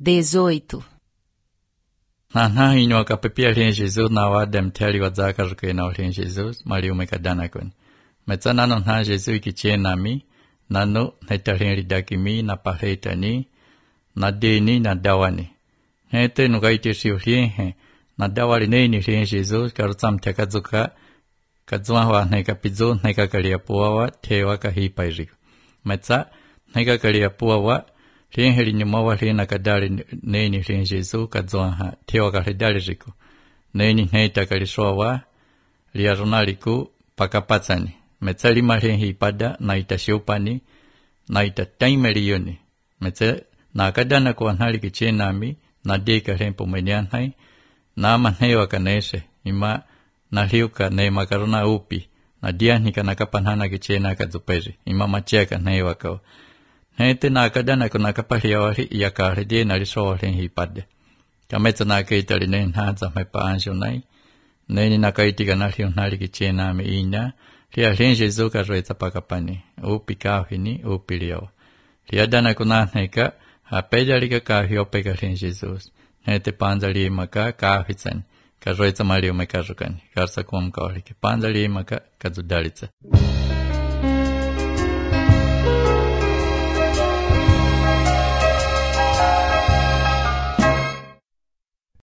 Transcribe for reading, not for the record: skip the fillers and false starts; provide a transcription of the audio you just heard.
18. Nana inyo kapepia lien Jesus na wa dem teli wa zaka ruke na lien Jesus mali umekadana kun. Metsa nano na Jesus ikichie nami nano netalien lidakimi na pahetani na deni na dawani. Hete nugaiti siu lien he na dawali neini lien Jesus karutsam tekazuka kadzwa wa neka pizo neka kalia puawa tewa kahipairi. Metsa neka kalia puawa lien heli nyumawa lien nakadali neini lien Jesus kadzwa ha tewa kahidali riku. Neini neita kalishowa liarunaliku pakapatsani. Metsa lima lien hipada na itashiupani na itataimeli yoni. Metsa na kadana kwa nali kichie nami na deka lien pumenian hai na manhewa kanese ima na liuka ne makaruna upi na dia nika nakapanhana kichena kadzuperi ima macheka newa kao hete na kadana kuna kapalia wali ya karede na lisowa len hipade kametsa na kaitali nen hanza mepa anjo nai neni na kaitika na liu nali kichena me inya lia len Jesu ka roeta pakapani upi kahini upi liao lia dana kuna neka hapedalika kahio peka len Jesus hete panzali maka kahitsan Karoitsa Mario Mekarukan, Karsa Kwam Kauriki, Pandali Maka Kazudalitsa.